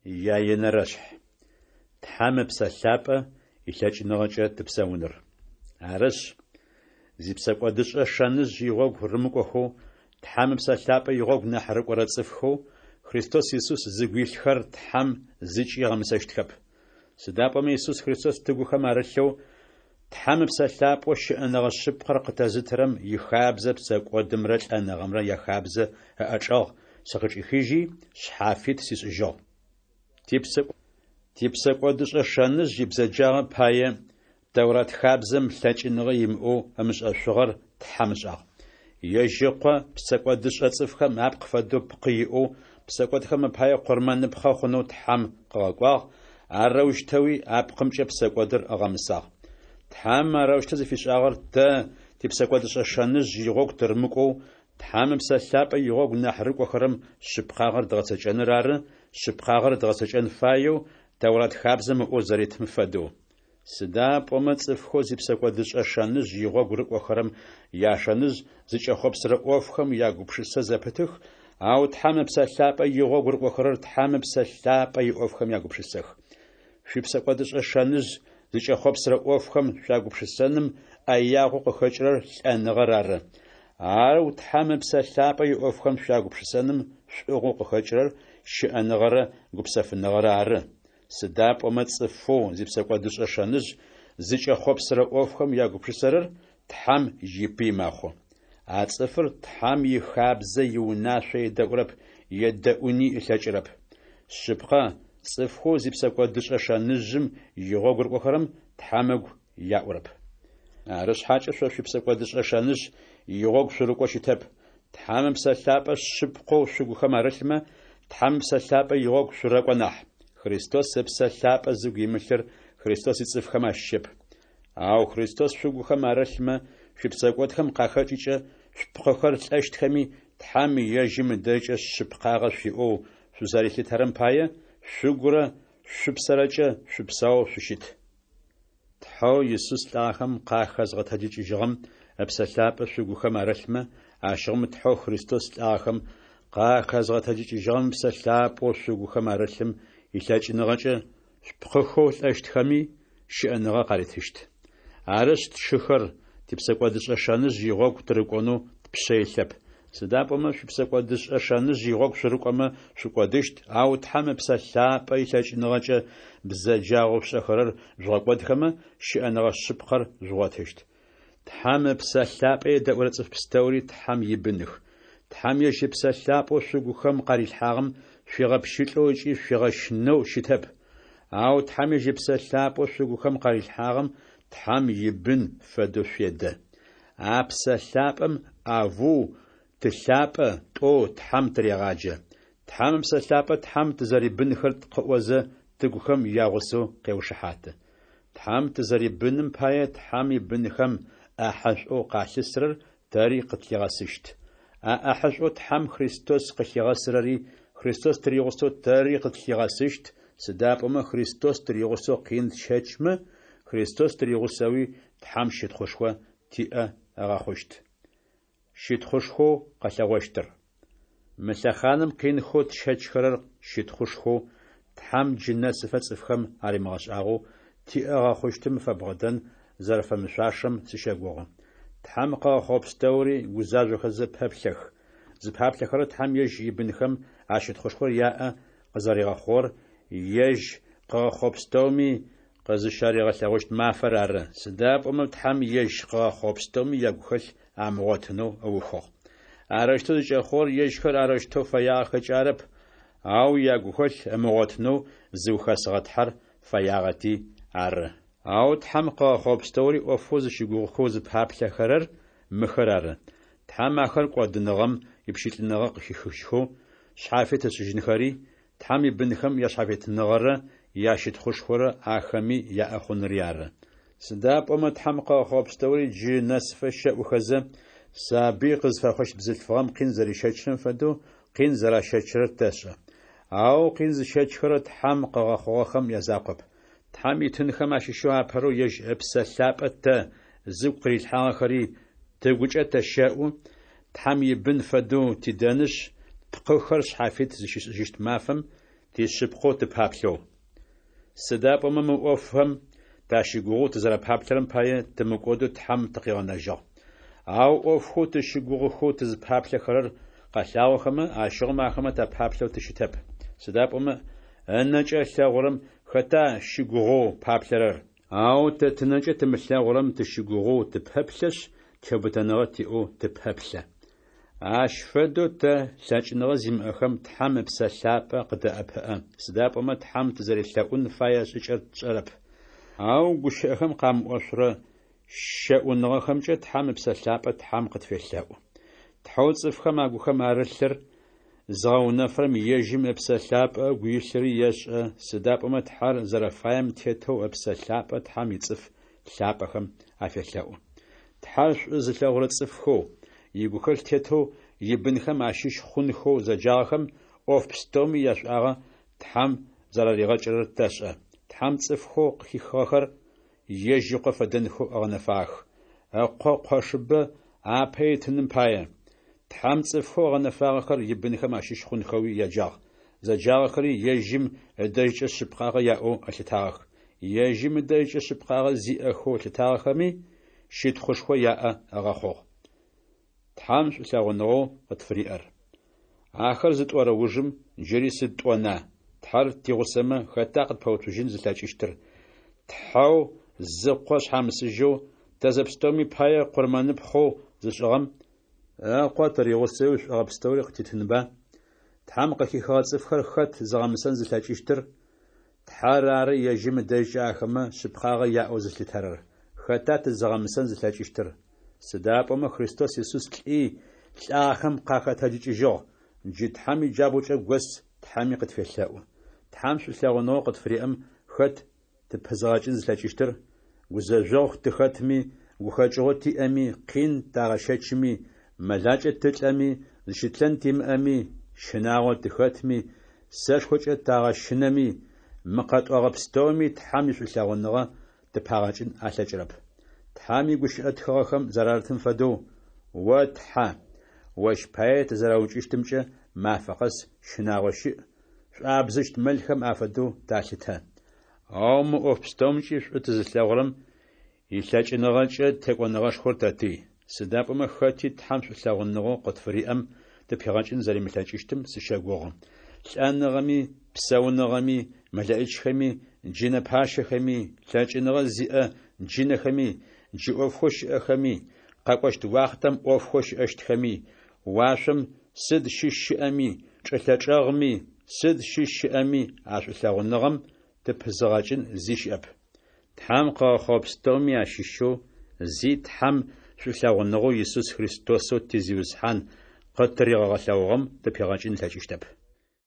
Яенэрэшъхь. Тхьэм Ыпсэ Лъапӏэ илъэкӏыныгъэкӏэ тыпсэуныр. Арышъ, зипсэкӏодышӏэ шэныжъ игъогу рымыкӏохэу, Тхьэм Ыпсэ Лъапӏэ игъогу нахь рыкӏорэ цӏыфхэу Христос Исус зыгу илъхэр Тхьэм зыкӏи ыгъэмысэщтхэп. Сыда пӏомэ Исус Христос тыгухэм арылъэу, Тхьэм Ыпсэ Лъапӏэу щыӏэныгъэ шъыпкъэр къытэзытырэм ихабзэ псэкӏодымрэ лӏэныгъэмрэ яхабзэ ыӏэчӏэгъ сыкъычӏихыжьи, шъхьафит сишӏыжьыгъ. Типсэкӏодышӏэ шэныжъ ибзэджагъэ пае Тэурат хабзэм лъэкӏыныгъэ имыӏэу ымышӏэшъугъэр Тхьэм ышӏагъ. Ежь Ыкъо псэкӏодышӏэ цӏыфхэм апкъ фэдэу пкъы иӏэу псэкӏодхэм апае къурмэныпхъэ хъунэу Тхьэм къыгъэкӏуагъ, арэущтэуи а пкъымкӏэ псэкӏодыр ыгъэмысагъ. Тхьэм арэущтэу зыфишӏагъэр тэ типсэкӏодышӏэ шэныжъ игъогу тырымыкӏоу, Тхьэм Ыпсэ Лъапӏэ игъогу нахь рыкӏохэрэм шъыпкъагъэр дгъэцэкӏэныр ары, шъыпкъагъэр дгъэцэкӏэн фаеу Тэурат хабзэм ыӏоу зэритым фэдэу. Сыда пӏомэ цӏыфхэу зипсэкӏодышӏэ шэныжъ игъогу рыкӏохэрэм яшэныжъ зыкӏэхъопсырэ ӏофхэм ягупшысэ зэпытых, ау Тхьэм Ыпсэ Лъапӏэ игъогу рыкӏохэрэр Тхьэм Ыпсэ Лъапӏэ иӏофхэм ягупшысэх. Шъуипсэкӏодышӏэ шэныжъ зыкӏэхъопсырэ ӏофхэм шъуягупшысэным ӏэягъэу къыхэкӏырэр лӏэныгъэр ары, ау Тхьэм Ыпсэ Лъапӏэ иӏофхэм шъуягупшысэным шӏугъэу къыхэкӏырэр щыӏэныгъэрэ гупсэфыныгъэрэ ары, сыда пӏомэ цӏыфэу зипсэкӏодышӏэ шэныжъ зыкӏэхъопсырэ ӏофхэм ягупшысэрэр Тхьэм ипый мэхъу. А цӏыфыр Тхьэм ихабзэ иунашъо едэӏурэп, едэӏуни ылъэкӏырэп. Шъыпкъэ, цӏыфхэу зипсэкӏодышӏэ шэныжъым игъогу рыкӏохэрэм Тхьэм ыгу яӏурэп. Арышъхьакӏэ шъо шъуипсэкӏодышӏэ шэныжъ игъогу шъурыкӏоу щытэп. Тхьэм Ыпсэ Лъапӏэ шъыпкъэу шъугухэм арылъмэ, Тхьэм Ыпсэ Лъапӏэ игъогу шъурэкӏо нахь. Христос Ыпсэ Лъапӏэ зыгу имылъыр Христос ицӏыфхэм ащыщэп. Ау Христос шъугухэм арылъмэ, шъуипсэкӏодхэм къахэкӏыкӏэ шъупкъыхэр лӏэщтхэми, Тхьэм ежьым ыдэжькӏэ шъыпкъагъэ шъуиӏэу шъузэрилъытэрэм пае, шъугурэ шъупсэрэкӏэ шъупсэоу шъущыт. Тхьэу Исус лӏагъэхэм къахэзгъэтэджыкӏыжьыгъэм Ыпсэ Лъапӏэ шъугухэм арылъмэ, ащыгъум Тхьэу Христос лӏагъэхэм къахэзгъэтэджыкӏыжьыгъэм Ыпсэ Лъапӏэу шъугухэм арылъым илъэкӏыныгъэкӏэ шъупкъыхэу лӏэщтхэми щыӏэныгъэ къаритыщт. Арышъ, тшыхэр, типсэкӏодышӏэ шэныжъ игъогу тырыкӏонэу тпшъэ илъэп. Сыда пӏомэ шъуипсэкӏодышӏэ шэныжъ игъогу шъурыкӏомэ шъукӏодыщт, ау Тхьэм Ыпсэ Лъапӏэ илъэкӏыныгъэкӏэ бзэджагъэу шъушӏэхэрэр жъугъэкӏодхэмэ, щыӏэныгъэ шъыпкъэр жъугъотыщт. Тхьэм Ыпсэ Лъапӏэ едэӏурэ цӏыф пстэури Тхьэм ибыных. Тхьэм ежь Ыпсэ Лъапӏэу шъугухэм къарилъхьагъэм шъуигъэпщылӏэу ыкӏи шъуигъэщынэу щытэп. Ау Тхьэм ежь Ыпсэ Лъапӏэу шъугухэм къарилъхьагъэм Тхьэм ибын фэдэу шъуедэ. А Псэ Лъапӏэм Авву, Ты лъапӏэ, тӏоу Тхьэм тырегъаджэ. Тхьэм Ыпсэ Лъапӏэ Тхьэм тызэрибынхэр къыӏозэ, тыгухэм ягъусэу къеушыхьаты. Тхьэм тызэрибыным пае Тхьэм ибынхэм ӏахьэшӏоу къалъысырэр тэри къытлъигъэсыщт. А ӏахьэшӏоу Тхьэм Христос къылъигъэсырэри Христос тыригъусэу тэри къытлъигъэсыщт, сыда пӏомэ Христос тыригъусэу къин тщэчмэ, Христос тыригъусэуи Тхьэм щытхъушхо тиӏэ ыгъэхъущт. Щытхъушхоу къэлъэгъощтыр. Мы лъэхъаным къинхэу тщэчхэрэр щытхъушхоу, Тхьэм джы нэсыфэ цӏыфхэм аримыгъэшӏагъэу, тиӏэ ыгъэхъущтым фэбгъэдэн зэрэфэмышъуашэм сыщэгугъы. Тхьэм къыгъэхъугъэ пстэури гузажъохэзэ пэплъэх. Зыпаплъэхэрэр Тхьэм ежь ибынхэм а щытхъушхор яӏэ къызэригъэхъугъэр ежь къыгъэхъугъэ пстэуми къызыщаригъэлъэгъущт мафэр ары, сыда пӏомэ Тхьэм ежь къыгъэхъугъэ пстэуми ягухэлъ амыгъотынэу ыухыгъ. Арэущтэу зыкӏэхъугъэр ежьхэр арэущтэу фэягъэхэкӏэ арэп, ау ягухэлъ ымыгъотынэу зыухэсыгъэ Тхьэр фэягъэти ары. Ау Тхьэм къыгъэхъугъэ пстэури ӏофэу зыщыгугъыхэу зыпаплъэхэрэр мыхэр ары, Тхьэм ахэр кӏодыныгъэм ипщылӏыныгъэ къыхихыжьхэу шъхьафит ышӏыжьынхэри, Тхьэм ибынхэм яшъхьафитыныгъэрэ ящытхъушхорэ ахэми яӏэ хъунри ары. Сыда пӏомэ Тхьэм къыгъэхъугъэ пстэури джы нэсыфэ щэӏухэзэ, сабый къызфэхъущт бзылъфыгъэм къин зэрищэчрэм фэдэу къин зэращэчрэр тэшӏэ. Ау къин зыщэчхэрэр Тхьэм къыгъэхъугъэхэм язакъоп. Тхьэм итынхэм ащыщэу апэрэу ежь Ыпсэ Лъапӏэ тэ, зыгу къырилъхьагъэхэри, тыгукӏэ тэщэӏу, Тхьэм ибын фэдэу тидэнышъ, тпкъыхэр шъхьафит зыщишӏыжьыщт мафэм тишъыпкъэу тыпаплъэу. Сыда пӏомэ мы ӏофхэм тащыгугъэу тызэрэпаплъэрэм пае, тымыкӏодэу Тхьэм тыкъигъэнэжьыгъ. Ау ӏофхэу тызщыгугъыхэу тызпаплъэхэрэр къэлъагъохэмэ, ащыгъум ахэмэ тапаплъэу тыщытэп. Сыда пӏомэ ынэкӏэ ылъэгъурэм хэта щыгугъэу паплъэрэр? Ау тэ тынэкӏэ тымылъэгъурэм тыщыгугъэу тыпэплъэшъ, теубытэныгъэ тиӏэу тыпэплъэ. Ащ фэдэу тэ, лъэкӏыныгъэ зимыӏэхэм, Тхьэм Ыпсэ Лъапӏэ къыддэӏэпыӏэ, сыда пӏомэ Тхьэм тызэрелъэӏун фае шӏыкӏэр тшӏэрэп. Ау гущыӏэхэм къамыӏошъурэ щэӏуныгъэхэмкӏэ Тхьэм Ыпсэ Лъапӏэ Тхьэм къытфелъэӏу. Тхьэу цӏыфхэм агухэм арылъыр зыгъэунэфырэм ежьым Ыпсэ Лъапӏэ ыгу илъыри ешӏэ, сыда пӏомэ Тхьэр зэрэфаем тетэу Ыпсэ Лъапӏэ Тхьэм ицӏыф лъапӏэхэм афелъэӏу. Тхьэр шӏу зылъэгъурэ цӏыфхэу, игухэлъ тетэу ибынхэм ащыщ хъунхэу зэджагъэхэм ӏоф пстэуми яшӏуагъэ Тхьэм зэраригъэкӏырэр тэшӏэ. Тхьэм цӏыфхэу къыхихыгъэхэр ежь Ыкъо фэдэнхэу ыгъэнэфагъэх, Ыкъо къошыбэ апэ итыным пае. Тхьэм цӏыфхэу ыгъэнэфагъэхэр ибынхэм ащыщ хъунхэуи яджагъ, зэджагъэхэри ежьым ыдэжькӏэ шъыпкъагъэ яӏэу ылъытагъэх. Ежьым ыдэжькӏэ шъыпкъагъэ зиӏэхэу ылъытагъэхэми щытхъушхо яӏэ ыгъэхъугъ. Тхьэм шӏулъэгъуныгъэу къытфыриӏэр. Ахэр зытӏорэ ужым, джыри сыд тӏона? Тхьэр тигъусэмэ, хэта къытпэуцужьын зылъэкӏыщтыр? Тхьэу зы Къо шъхьамысыжьэу тэ зэпстэуми пае къурмэныпхъэу зышӏыгъэм Ыкъо тыригъусэуи шӏогъэ пстэури къытитынба? Тхьэм къыхихыгъэ цӏыфхэр хэт зыгъэмысэн зылъэкӏыщтыр? Тхьэр ары ежьым ыдэжькӏэ ахэмэ шъыпкъагъэ яӏэу зылъытэрэр. Хэта тызыгъэмысэн зылъэкӏыщтыр? Сыда пӏомэ Христос Исус лӏи, лӏагъэхэм къахэтэджыкӏыжьыгъ, джы Тхьэм иджабгъукӏэ гос Тхьэми къытфелъэӏу. Тхьэм шӏулъэгъуныгъэу къытфыриӏэм хэт тыпызгъэкӏын зылъэкӏыщтыр? Гузэжъогъу тыхэтми, гухэкӏыгъо тиӏэми, къин тагъэщэчми, мэлакӏэ тылӏэми, зыщытлъэн тимыӏэми, щынагъо тыхэтми, сэшхокӏэ тагъэщынэми, мы къэтӏогъэ пстэуми Тхьэм ишӏулъэгъуныгъэ тыпагъэкӏын алъэкӏырэп. Тхьэм игущыӏэ тхыгъэхэм зэрарытым фэдэу, О Тхьэ, ощ пае тызэраукӏыщтымкӏэ мафэ къэс щынагъо щыӏ, шӏуабзыщт мэлхэм афэдэу талъытэ. Ау мы ӏоф пстэумкӏи шӏу тызылъэгъурэм илъэкӏыныгъэкӏэ текӏоныгъэшхор тэтый. Сыда пӏомэ хэти Тхьэм шӏулъэгъуныгъэу къытфыриӏэм тыпигъэкӏын зэримылъэкӏыщтым сыщэгугъы. Лӏэныгъэми, псэуныгъэми, мэлэӏичхэми, джынэ пащэхэми, лъэкӏыныгъэ зиӏэ джынэхэми, джы ӏофхэу щыӏэхэми, къэкӏощт уахътэм ӏофхэу щыӏэщтхэми, уашъом сыд щыщ щыӏэми, чӏылъэ чӏэгъми, сыд щыщ щыӏэми а шӏулъэгъуныгъэм тыпызыгъэкӏын зи щыӏэп. Тхьэм къыгъэхъугъэ пстэуми ащыщэу зи Тхьэм шӏулъэгъуныгъэу Исус Христосэу ти Зиусхьан къытыригъэлъэгъугъэм тыпигъэкӏын ылъэкӏыщтэп.